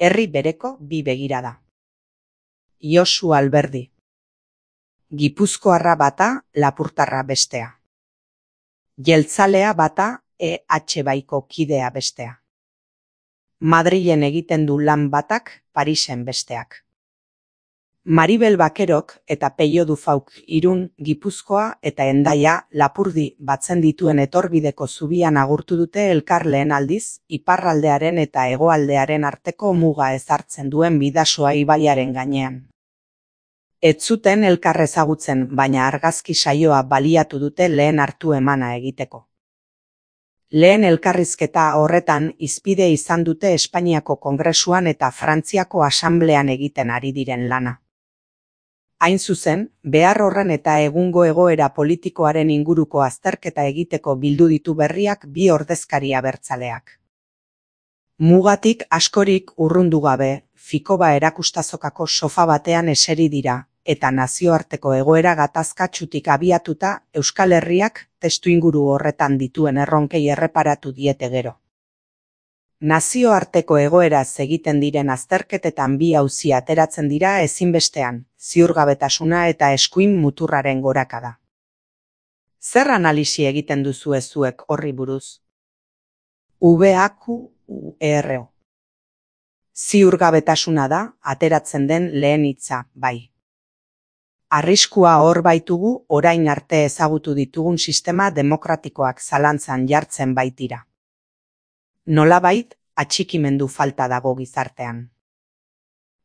Herri bereko bi begirada. Josu Alberdi. Gipuzkoarra bata, lapurtarra bestea. Jeltzalea bata, EH Baiko kidea bestea. Madrilen egiten du lan batak, Parisen besteak. Maribel Bakerok eta Peio Dufauk Irun, Gipuzkoa eta Hendaia, Lapurdi batzen dituen etorbideko zubian agurtu dute elkar lehen aldiz, iparraldearen eta hegoaldearen arteko muga ezartzen duen Bidasoa ibaiaren gainean. Ez zuten elkar ezagutzen, baina argazki saioa baliatu dute lehen hartu emana egiteko. Lehen elkarrizketa horretan hizpide izan dute Espainiako Kongresuan eta Frantziako Asamblean egiten ari diren lana. Hain zuzen, behar horren eta egungo egoera politikoaren inguruko azterketa egiteko bildu ditu berriak bi ordezkari abertzaleak. Mugatik askorik urrundu gabe, Fikoba erakustazokako sofa batean eseri dira, eta nazioarteko egoera gatazkatsutik abiatuta Euskal Herriak testuinguru horretan dituen erronkei erreparatu diete gero. Nazioarteko egoeraz egiten diren azterketetan bi auzi ateratzen dira ezinbestean, ziurgabetasuna eta eskuin muturraren gorakada. Zer analisi egiten duzue zuek horri buruz? VAQUERO. Ziurgabetasuna da, ateratzen den lehen hitza, bai. Arriskua hor baitugu orain arte ezagutu ditugun sistema demokratikoak zalantzan jartzen baitira. Nolabait, atxikimendu falta dago gizartean.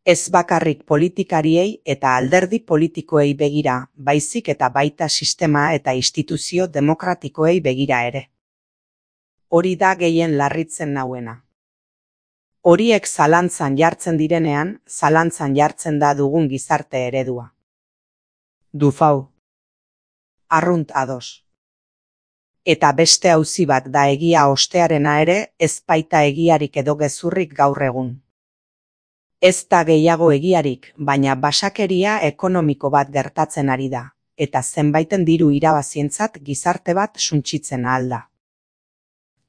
Ez bakarrik politikariei eta alderdi politikoei begira, baizik eta baita sistema eta instituzio demokratikoei begira ere. Hori da gehien larritzen nauena. Horiek zalantzan jartzen direnean, zalantzan jartzen da dugun gizarte eredua. Dufau. Arrunt ados. Eta beste auzi bat da egia ostearena ere, ez baita egiarik edo gezurrik gaur egun. Ez da gehiago egiarik, baina basakeria ekonomiko bat gertatzen ari da, eta zenbaiten diru irabazientzat gizarte bat suntsitzen ahal da.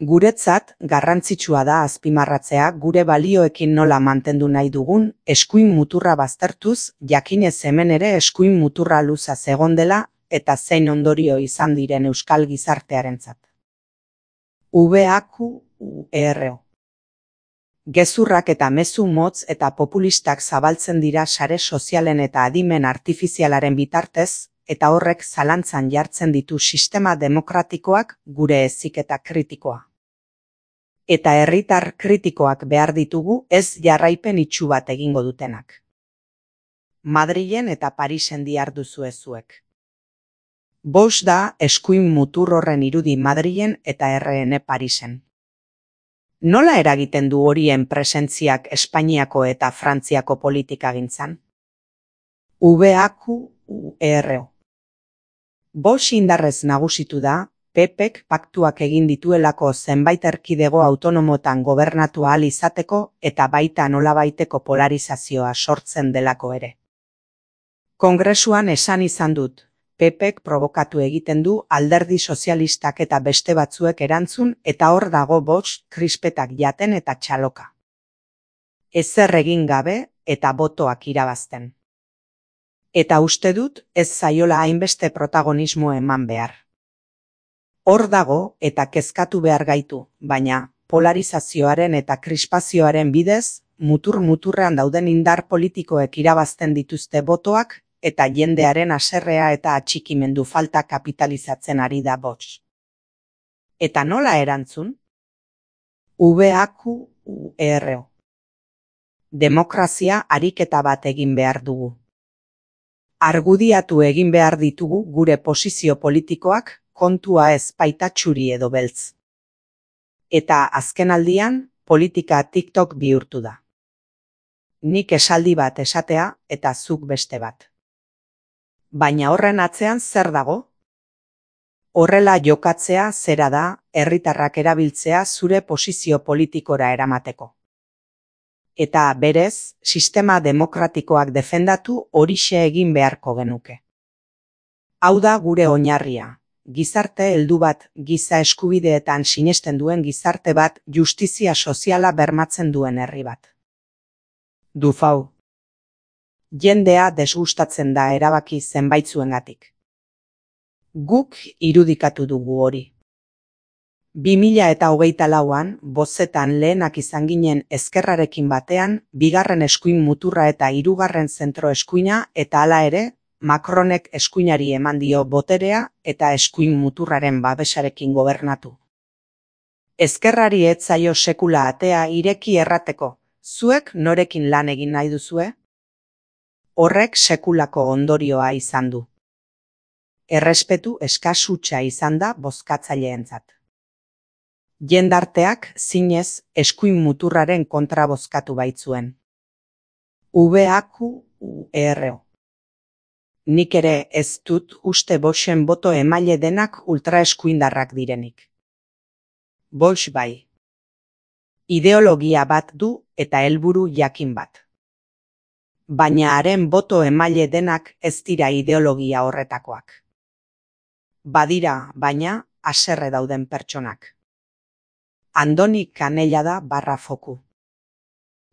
Guretzat, garrantzitsua da azpimarratzea gure balioekin nola mantendu nahi dugun, eskuin muturra baztertuz, jakinez hemen ere eskuin muturra luza zegon dela, eta zein ondorio izan diren euskal gizartearentzat. VAQUERO. Gezurrak eta mezu motz eta populistak zabaltzen dira sare sozialen eta adimen artifizialaren bitartez, eta horrek zalantzan jartzen ditu sistema demokratikoak gure heziketa kritikoa. Eta herritar kritikoak behar ditugu ez jarraipen itsu bat egingo dutenak. Madrilen eta Parisen diharduzue zuek. Bost da eskuin mutur horren irudi Madrilen eta RN Parisen. Nola eragiten du horien presentziak Espainiako eta Frantziako politikagintzan? VAQUERO. Bost indarrez nagusitu da, PPek paktuak egin dituelako zenbait erkidego autonomotan gobernatu ahal izateko eta baita nolabaiteko polarizazioa sortzen delako ere. Kongresuan esan izan dut, PPek provokatu egiten du alderdi sozialistak eta beste batzuek erantzun eta hor dago bost krispetak jaten eta txaloka. Ezer egin gabe eta botoak irabazten. Eta uste dut ez zaiola hainbeste protagonismo eman behar. Hor dago eta kezkatu behar gaitu, baina polarizazioaren eta krispazioaren bidez, mutur-muturrean dauden indar politikoek irabazten dituzte botoak eta jendearen haserrea eta atxikimendu falta kapitalizatzen ari da bots. Eta nola erantzun? VAQUERO. Demokrazia ariketa bat egin behar dugu. Argudiatu egin behar ditugu gure posizio politikoak, kontua ez baita txuri edo beltz. Eta azkenaldian, politika TikTok bihurtu da. Nik esaldi bat esatea eta zuk beste bat. Baina horren atzean zer dago? Horrela jokatzea zera da, herritarrak erabiltzea zure posizio politikora eramateko. Eta berez, sistema demokratikoak defendatu horixe egin beharko genuke. Hau da gure oinarria. Gizarte heldu bat, giza eskubideetan sinesten duen gizarte bat, justizia soziala bermatzen duen herri bat. Dufau. Jendea desgustatzen da erabaki zenbaitzuengatik. Guk irudikatu dugu hori. 2024an, bozetan lehenak izan ginen ezkerrarekin batean, bigarren eskuin muturra eta hirugarren zentro eskuina, eta hala ere, Macronek eskuinari eman dio boterea eta eskuin muturraren babesarekin gobernatu. Ezkerrari ez zaio sekula atea ireki errateko, zuek norekin lan egin nahi duzue? Horrek sekulako ondorioa izan du. Errespetu eskasutxa izan da bozkatzaileentzat. Jendarteak zinez eskuin muturraren kontra bozkatu baitzuen. VAQURO. Nik ere ez dut uste Voxen boto emaile denak ultraeskuindarrak direnik. Vox bai. Ideologia bat du eta helburu jakin bat. Baina haren boto emaile denak ez dira ideologia horretakoak. Badira, baina, haserre dauden pertsonak. Andoni Canellada /foku.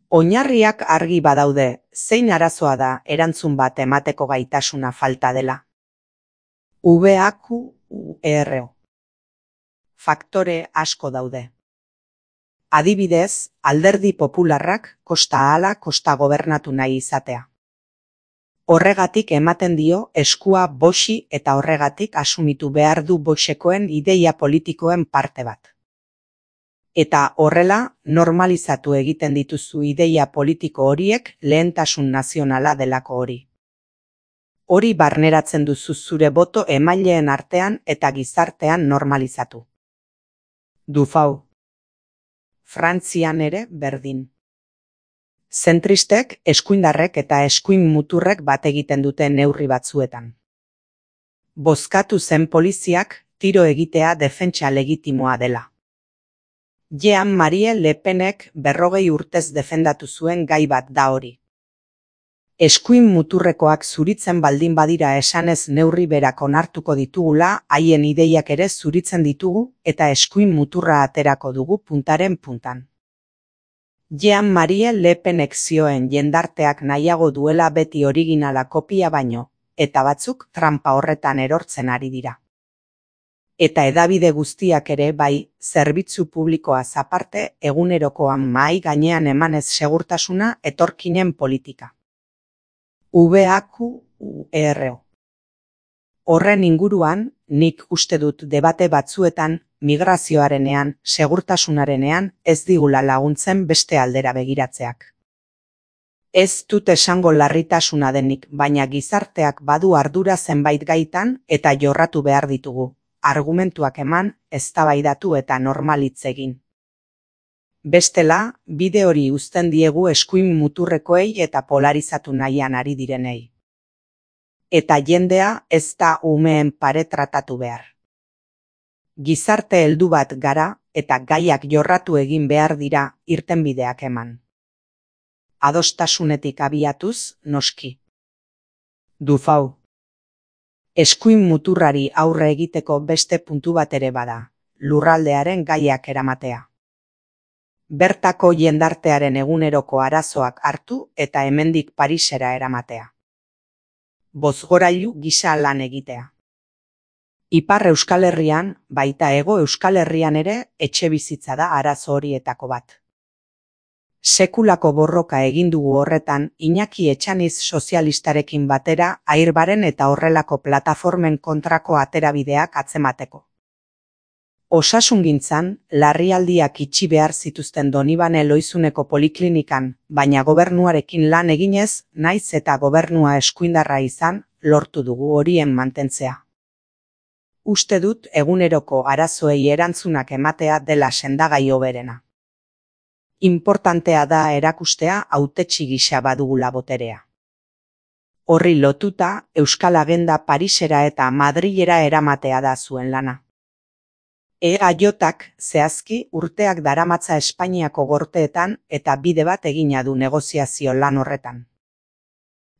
Oinarriak argi badaude, zein arazoa da erantzun bat emateko gaitasuna falta dela. VAQURO. Faktore asko daude. Adibidez, Alderdi Popularrak kosta ahala kosta gobernatu nahi izatea. Horregatik ematen dio eskua Voxi eta horregatik asumitu behar du Voxekoen ideia politikoen parte bat. Eta horrela, normalizatu egiten dituzu ideia politiko horiek lehentasun nazionala delako hori. Hori barneratzen duzu zure boto emaileen artean eta gizartean normalizatu. Dufau. Frantzian ere berdin. Zentristek, eskuindarrek eta eskuin muturrek bat egiten dute neurri batzuetan. Bozkatu zen poliziak tiro egitea defentsa legitimoa dela. Jean-Marie Le Penek 40 urtez defendatu zuen gai bat da hori. Eskuin muturrekoak zuritzen baldin badira esanez neurri berak onartuko ditugula, haien ideiak ere zuritzen ditugu eta eskuin muturra aterako dugu puntaren puntan. Jean-Marie Le Penek zioen jendarteak nahiago duela beti originala kopia baino, eta batzuk trampa horretan erortzen ari dira. Eta hedabide guztiak ere bai, zerbitzu publikoaz aparte egunerokoan mahai gainean emanez segurtasuna etorkinen politika. VAQURO. Horren inguruan, nik uste dut debate batzuetan, migrazioarenean, segurtasunarenean, ez digula laguntzen beste aldera begiratzeak. Ez dut esango larritasuna denik, baina gizarteak badu ardura zenbait gaitan eta jorratu behar ditugu. Argumentuak eman, eztabaidatu eta normalitz egin. Bestela, bide hori uzten diegu eskuin muturrekoei eta polarizatu nahian ari direnei. Eta jendea ez da umeen pare tratatu behar. Gizarte heldu bat gara eta gaiak jorratu egin behar dira irtenbideak eman. Adostasunetik abiatuz, noski. Dufau. Eskuin muturrari aurre egiteko beste puntu bat ere bada, lurraldearen gaiak eramatea. Bertako jendartearen eguneroko arazoak hartu eta hemendik Parisera eramatea. Bozgorailu gisa lan egitea. Ipar Euskal Herrian, baita Hego Euskal Herrian ere etxebizitza da arazo horietako bat. Sekulako borroka egin dugu horretan Iñaki Etxaniz sozialistarekin batera Airbaren eta horrelako plataformen kontrako aterabideak atzemateko. Osasungintzan, larrialdiak itxi behar zituzten Donibane Loizuneko poliklinikan, baina gobernuarekin lan eginez, naiz eta gobernua eskuindarra izan, lortu dugu horien mantentzea. Uste dut eguneroko arazoei erantzunak ematea dela sendagai hoberena. Importantea da erakustea hautetsi gisa badugula boterea. Horri lotuta, Euskal Agenda Parisera eta Madrilera eramatea da zuen lana. EAJak zehazki urteak daramatza Espainiako gorteetan eta bide bat egina du negoziazio lan horretan.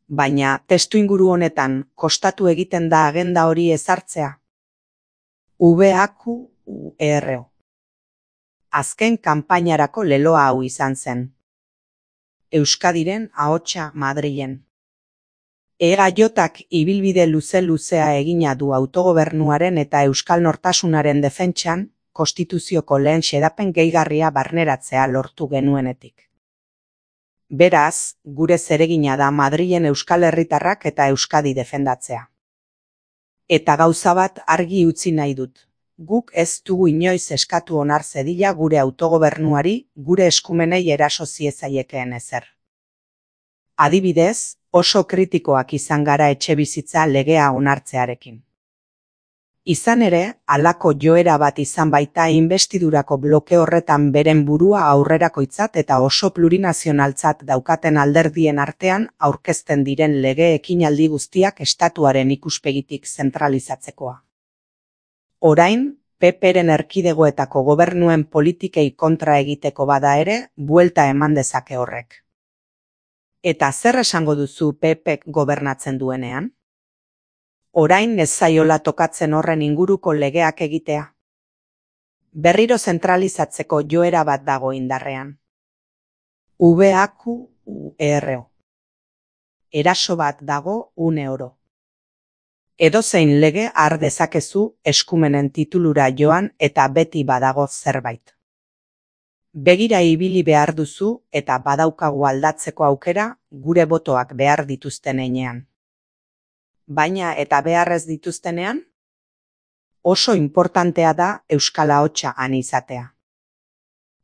Baina, testuinguru honetan, kostatu egiten da agenda hori ezartzea. VAQURO. Azken kanpainarako leloa hau izan zen. Euskadiren ahotsa Madrilen. EAJak ibilbide luze-luzea egina du autogobernuaren eta euskal nortasunaren defentsan, konstituzioko lehen xedapen gehigarria barneratzea lortu genuenetik. Beraz, gure zeregina da Madrilen euskal herritarrak eta Euskadi defendatzea. Eta gauza bat argi utzi nahi dut. Guk ez dugu inoiz eskatu onar zedila gure autogobernuari, gure eskumenei eraso ziezaiekeen ezer. Adibidez, oso kritikoak izan gara etxebizitza legea onartzearekin. Izan ere, halako joera bat izan baita inbestidurako bloke horretan beren burua aurrerakoitzat eta oso plurinazionaltzat daukaten alderdien artean aurkezten diren lege ekinaldi guztiak estatuaren ikuspegitik zentralizatzekoa. Orain, PP-ren erkidegoetako gobernuen politikei kontra egiteko bada ere, buelta eman dezake horrek. Eta zer esango duzu PP-k gobernatzen duenean? Orain ez zaiola tokatzen horren inguruko legeak egitea. Berriro zentralizatzeko joera bat dago indarrean. VAQUERO. Eraso bat dago oro. Edozein lege har dezakezu eskumenen titulura joan eta beti badago zerbait. Begira ibili behar duzu eta badaukagu aldatzeko aukera gure botoak behar dituzten heinean. Baina eta beharrez dituztenean? Oso inportantea da euskal ahotsa han izatea.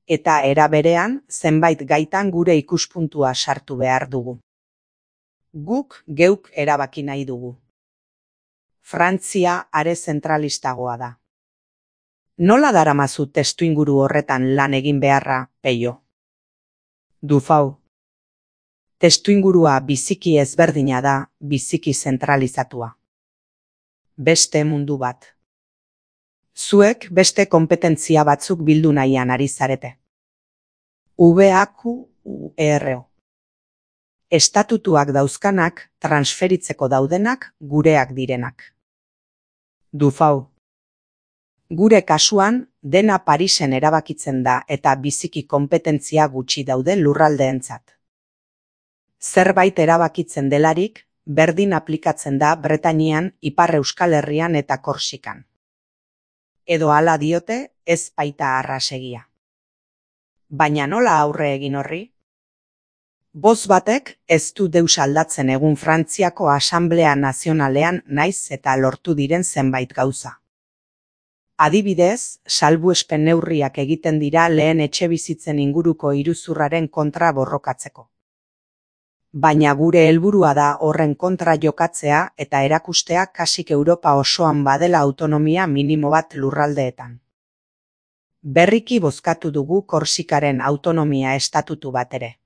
Eta era berean zenbait gaitan gure ikuspuntua sartu behar dugu. Guk geuk erabaki nahi dugu. Frantzia are zentralistagoa da. Nola daramazu testuinguru horretan lan egin beharra, Peio? Dufau. Testuingurua biziki ezberdina da, biziki zentralizatua. Beste mundu bat. Zuek beste konpetentzia batzuk bildu nahian ari zarete. VAQUERO. Estatutuak dauzkanak, transferitzeko daudenak, gureak direnak. Dufau. Gure kasuan, dena Parisen erabakitzen da eta biziki konpetentzia gutxi daude lurraldeentzat. Zerbait erabakitzen delarik, berdin aplikatzen da Bretainian, Ipar Euskal Herrian eta Korsikan. Edo hala diote, ez baita arrasegia. Baina nola aurre egin horri? Boz batek ez du deus aldatzen egun Frantziako Asanblea Nazionalean naiz eta lortu diren zenbait gauza. Adibidez, salbuespen neurriak egiten dira lehen etxebizitzen inguruko iruzurraren kontra borrokatzeko. Baina gure helburua da horren kontra jokatzea eta erakustea kasik Europa osoan badela autonomia minimo bat lurraldeetan. Berriki bozkatu dugu Korsikaren autonomia estatutu bat ere.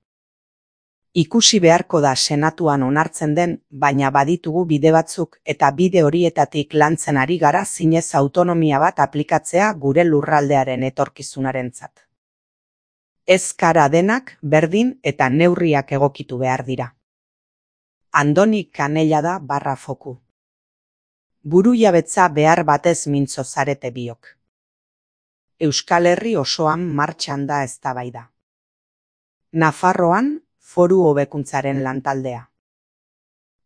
Ikusi beharko da senatuan onartzen den, baina baditugu bide batzuk eta bide horietatik lantzen ari gara zinez autonomia bat aplikatzea gure lurraldearen etorkizunarentzat. Ez kara denak berdin eta neurriak egokitu behar dira. Andoni Kanella da /foku. Burujabetza behar batez mintzo zarete biok. Euskal Herri osoan martxan da eztabaida. Nafarroan, foru hobekuntzaren lantaldea.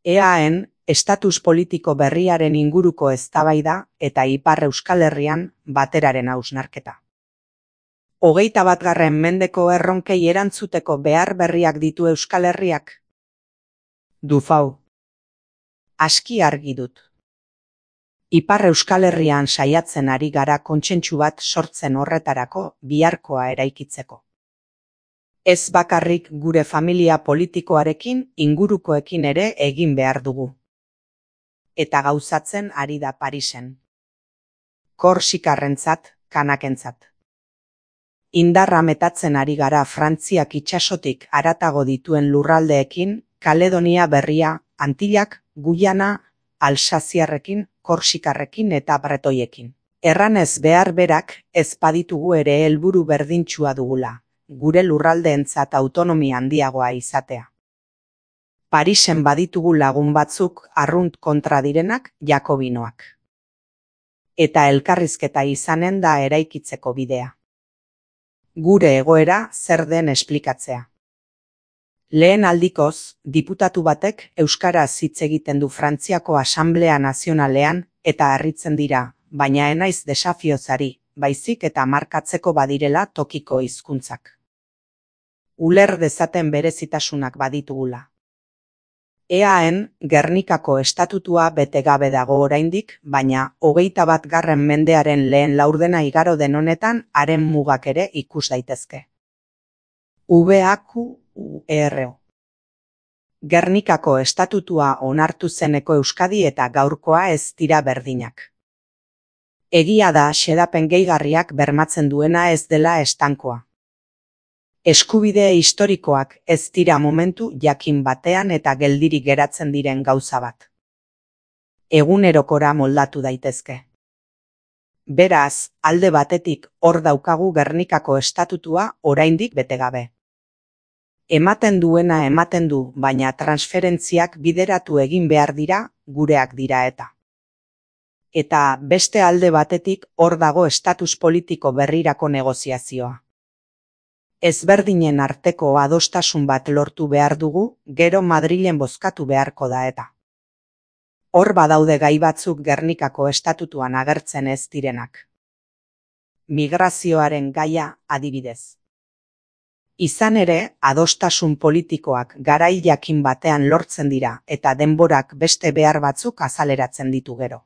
EAen, estatus politiko berriaren inguruko eztabaida eta Ipar Euskal Herrian bateraren hausnarketa. 21. mendeko erronkei erantzuteko behar berriak ditu Euskal Herriak? Dufau. Aski argi dut. Ipar Euskal Herrian saiatzen ari gara kontsentsu bat sortzen horretarako biharkoa eraikitzeko. Ez bakarrik gure familia politikoarekin ingurukoekin ere egin behar dugu. Eta gauzatzen ari da Parisen. Korsikarrentzat, kanakentzat. Indarra metatzen ari gara Frantziak itsasotik haratago dituen lurraldeekin, Kaledonia Berria, Antillak, Guyana, Alsaziarrekin, Korsikarrekin eta Bretoiekin. Erranez behar berak ez baditugu ere helburu berdintsua dugula, gure lurraldeentzat autonomia handiagoa izatea. Parisen baditugu lagun batzuk arrunt kontra direnak jakobinoak. Eta elkarrizketa izanen da eraikitzeko bidea. Gure egoera zer den esplikatzea. Lehen aldikoz, diputatu batek euskaraz hitz egiten du Frantziako Asanblea Nazionalean eta harritzen dira, baina ez naiz desafiozari, baizik eta markatzeko badirela tokiko hizkuntzak. Uler dezaten berezitasunak baditugula. EAen Gernikako estatutua bete gabe dago oraindik, baina 21. mendearen lehen laurdena igaro den honetan haren mugak ere ikus daitezke. VAQUERO. Gernikako estatutua onartu zeneko Euskadi eta gaurkoa ez dira berdinak. Egia da xedapen gehigarriak bermatzen duena ez dela estankoa. Eskubide historikoak ez dira momentu jakin batean eta geldirik geratzen diren gauza bat. Egunerokora moldatu daitezke. Beraz, alde batetik hor daukagu Gernikako estatutua oraindik bete gabe. Ematen duena ematen du, baina transferentziak bideratu egin behar dira, gureak dira eta. Eta beste alde batetik hor dago estatus politiko berrirako negoziazioa. Ezberdinen arteko adostasun bat lortu behar dugu, gero Madrilen bozkatu beharko da eta. Hor badaude gai batzuk Gernikako estatutuan agertzen ez direnak. Migrazioaren gaia adibidez. Izan ere, adostasun politikoak garai jakin batean lortzen dira eta denborak beste behar batzuk azaleratzen ditu gero.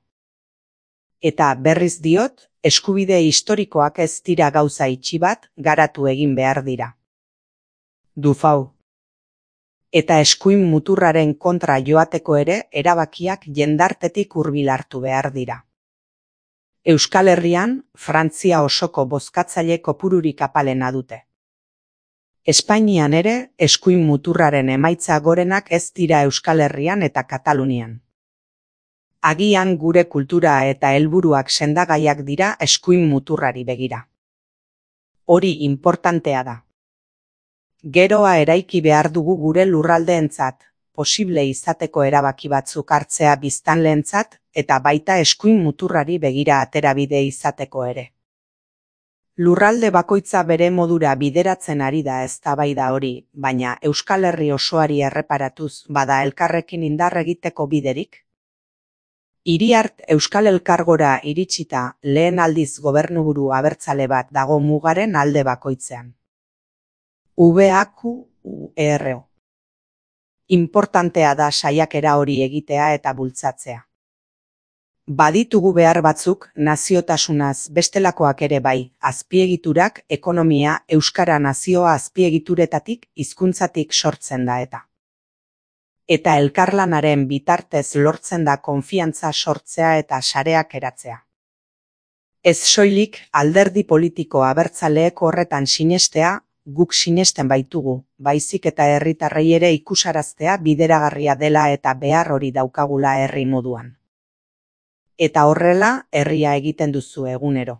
Eta berriz diot, eskubide historikoak ez dira gauza itxi bat garatu egin behar dira. Dufau. Eta eskuin muturraren kontra joateko ere erabakiak jendartetik hurbil hartu behar dira. Euskal Herrian, Frantzia osoko bozkatzaile kopururik apalena dute. Espainian ere, eskuin muturraren emaitza gorenak ez dira Euskal Herrian eta Katalunian. Agian gure kultura eta helburuak sendagaiak dira eskuin muturrari begira. Hori inportantea da. Geroa eraiki behar dugu gure lurraldeentzat, posible izateko erabaki batzuk hartzea biztanleentzat eta baita eskuin muturrari begira aterabide izateko ere. Lurralde bakoitza bere modura bideratzen ari da eztabaida hori, baina Euskal Herri osoari erreparatuz bada elkarrekin indar egiteko biderik? Iriart Euskal Elkargora iritsita lehen aldiz gobernuburu abertzale bat dago mugaren alde bakoitzean. VAQUERO. Inportantea da saiakera hori egitea eta bultzatzea. Baditugu behar batzuk naziotasunaz bestelakoak ere bai, azpiegiturak, ekonomia, euskara nazioa azpiegituretatik, hizkuntzatik sortzen da eta. Eta elkarlanaren bitartez lortzen da konfiantza sortzea eta sareak eratzea. Ez soilik alderdi politiko abertzaleek horretan sinestea, guk sinesten baitugu, baizik eta herritarrei ere ikusaraztea bideragarria dela eta behar hori daukagula herri moduan. Eta horrela herria egiten duzu egunero.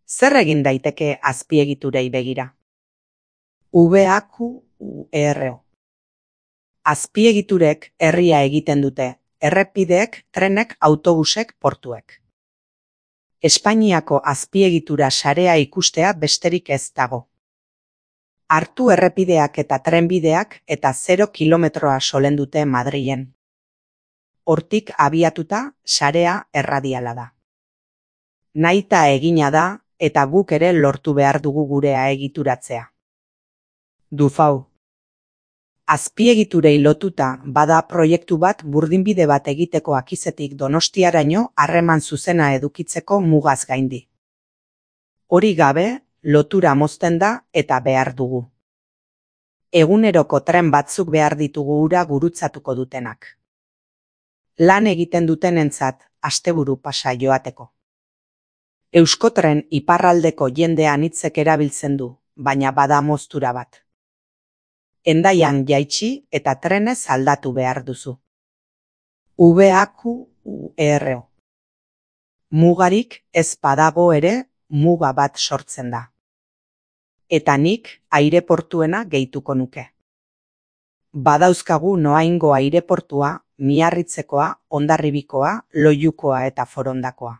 Zer egin daiteke azpiegiturei begira? VAQUERO. Azpiegiturek herria egiten dute, errepideek, trenek, autobusek, portuek. Espainiako azpiegitura sarea ikustea besterik ez dago. Hartu errepideak eta trenbideak eta 0 kilometroa solen dute Madrilen. Hortik abiatuta, sarea erradiala da. Nahita egina da, eta guk ere lortu behar dugu gurea egituratzea. Dufau. Azpiegiturei lotuta bada proiektu bat burdinbide bat egiteko Akizetik Donostiaraino harreman zuzena edukitzeko mugaz gaindi. Hori gabe, lotura mozten da eta behar dugu. Eguneroko tren batzuk behar ditugu ura gurutzatuko dutenak. Lan egiten dutenentzat asteburu pasa joateko. Euskotren iparraldeko jendea anitzek erabiltzen du, baina bada moztura bat. Hendaian jaitsi eta trenez aldatu behar duzu. VAQUERO. Mugarik ez badago ere, muga bat sortzen da. Eta nik aireportuena gehituko nuke. Badauzkagu Noaingo aireportua, Miarritzekoa, Hondarribikoa, Loiukoa eta Forondakoa.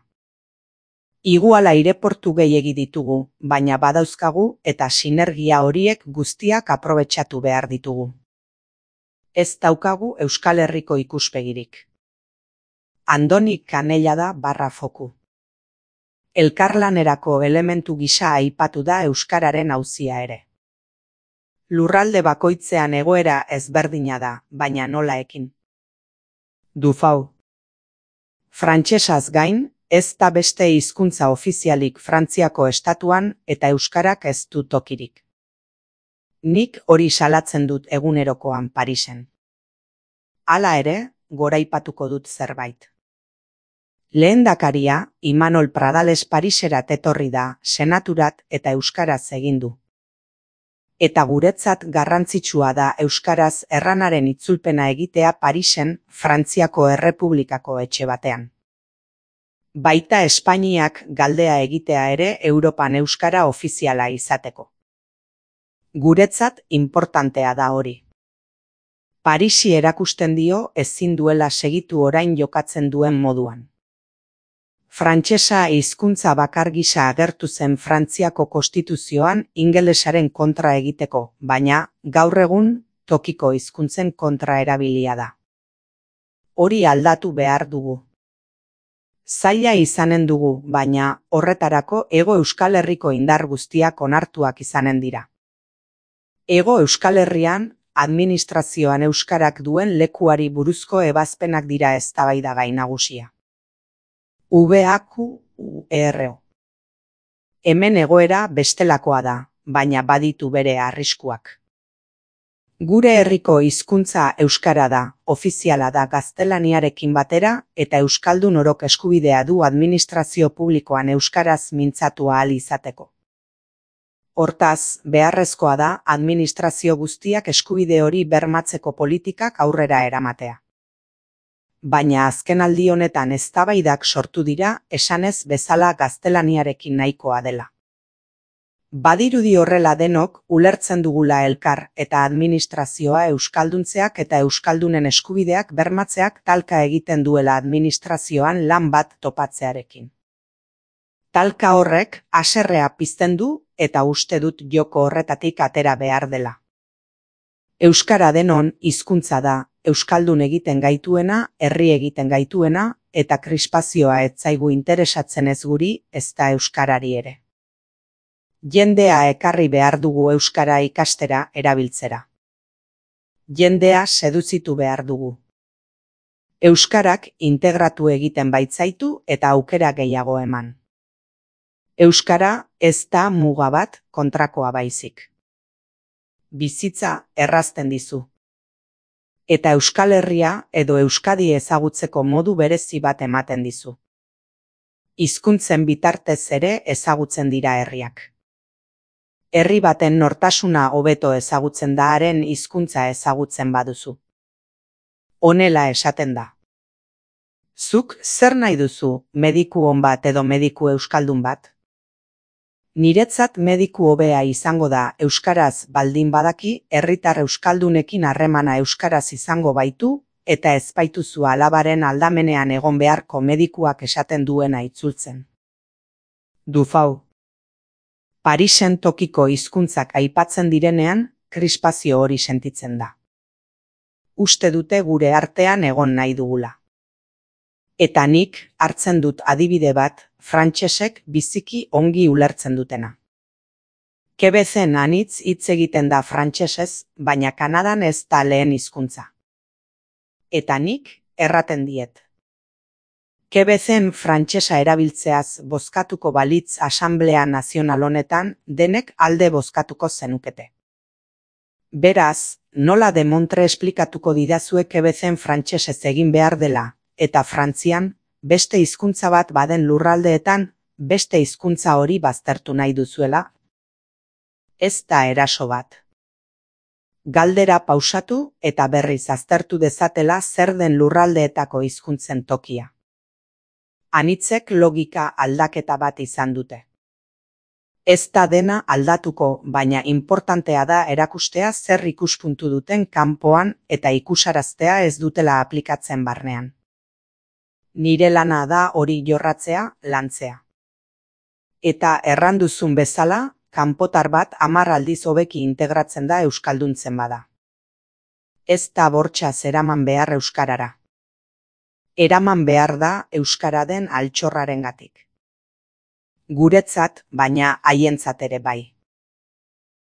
Igual aireportu gehiegi ditugu, baina badauzkagu eta sinergia horiek guztiak aprobetxatu behar ditugu. Ez daukagu Euskal Herriko ikuspegirik. Andoni Kanellada /foku. Elkarlanerako elementu gisa aipatu da euskararen auzia ere. Lurralde bakoitzean egoera ezberdina da, baina nola ekin. Dufau. Frantsesaz gain, ez da beste hizkuntza ofizialik Frantziako estatuan eta euskarak ez du tokirik. Nik hori salatzen dut egunerokoan Parisen. Hala ere, goraipatuko dut zerbait. Lehendakaria, Imanol Pradales Pariserat etorri da, senaturat eta euskaraz egin du. Eta guretzat garrantzitsua da euskaraz erranaren itzulpena egitea Parisen, Frantziako Errepublikako etxe batean. Baita Espainiak galdea egitea ere Europan euskara ofiziala izateko. Guretzat inportantea da hori. Parisi erakusten dio ezin duela segitu orain jokatzen duen moduan. Frantsesa hizkuntza bakar gisa agertu zen Frantziako konstituzioan ingelesaren kontra egiteko, baina gaur egun tokiko hizkuntzen kontra erabilia da. Hori aldatu behar dugu. Zaila izanen dugu, baina horretarako Hego Euskal Herriko indar guztiak onartuak izanen dira. Hego Euskal Herrian, administrazioan euskarak duen lekuari buruzko ebazpenak dira eztabaidagai nagusia. VAQURO. Hemen egoera bestelakoa da, baina baditu bere arriskuak. Gure herriko hizkuntza euskara da, ofiziala da gaztelaniarekin batera eta euskaldun orok eskubidea du administrazio publikoan euskaraz mintzatu ahal izateko. Hortaz, beharrezkoa da administrazio guztiak eskubide hori bermatzeko politikak aurrera eramatea. Baina azkenaldi honetan eztabaidak sortu dira esanez bezala gaztelaniarekin nahikoa dela. Badirudi horrela denok ulertzen dugula elkar eta administrazioa euskalduntzeak eta euskaldunen eskubideak bermatzeak talka egiten duela administrazioan lan bat topatzearekin. Talka horrek haserrea pizten du eta uste dut joko horretatik atera behar dela. Euskara denon hizkuntza da, euskaldun egiten gaituena, herri egiten gaituena eta krispazioa ez zaigu interesatzen ez guri ezta euskarari ere. Jendea ekarri behar dugu euskara ikastera erabiltzera. Jendea seduzitu behar dugu. Euskarak integratu egiten baitzaitu eta aukera gehiago eman. Euskara ez da muga bat kontrakoa baizik. Bizitza errazten dizu. Eta Euskal Herria edo Euskadi ezagutzeko modu berezi bat ematen dizu. Hizkuntzen bitartez ere ezagutzen dira herriak. Herri baten nortasuna hobeto ezagutzen da haren hizkuntza ezagutzen baduzu. Honela esaten da. Zuk zer nahi duzu, mediku on bat edo mediku euskaldun bat? Niretzat mediku hobea izango da euskaraz baldin badaki, herritar euskaldunekin harremana euskaraz izango baitu, eta ez baituzu alabaren aldamenean egon beharko medikuak esaten duena itzultzen. Dufau. Parisen tokiko hizkuntzak aipatzen direnean, krispazio hori sentitzen da. Uste dute gure artean egon nahi dugula. Eta nik hartzen dut adibide bat, frantsesek biziki ongi ulertzen dutena. Quebezen anitz hitz egiten da frantsesez, baina Kanadan ez da lehen hizkuntza. Eta nik erraten diet. Quebezen frantsesa erabiltzeaz bozkatuko balitz Asanblea Nazional honetan denek alde bozkatuko zenukete. Beraz, nola demontre esplikatuko didazue Quebezen frantsesez egin behar dela, eta Frantzian, beste hizkuntza bat baden lurraldeetan, beste hizkuntza hori baztertu nahi duzuela? Ez da eraso bat. Galdera pausatu eta berriz aztertu dezatela zer den lurraldeetako hizkuntzen tokia. Anitzek logika aldaketa bat izan dute. Ez da dena aldatuko, baina inportantea da erakustea zer ikuspuntu duten kanpoan eta ikusaraztea ez dutela aplikatzen barnean. Nire lana da hori jorratzea, lantzea. Eta erranduzun bezala, kanpotar bat 10 aldiz hobeki integratzen da euskalduntzen bada. Ez da bortxaz eraman behar euskarara. Eraman behar da euskara den altxorrarengatik. Guretzat, baina haientzat ere bai.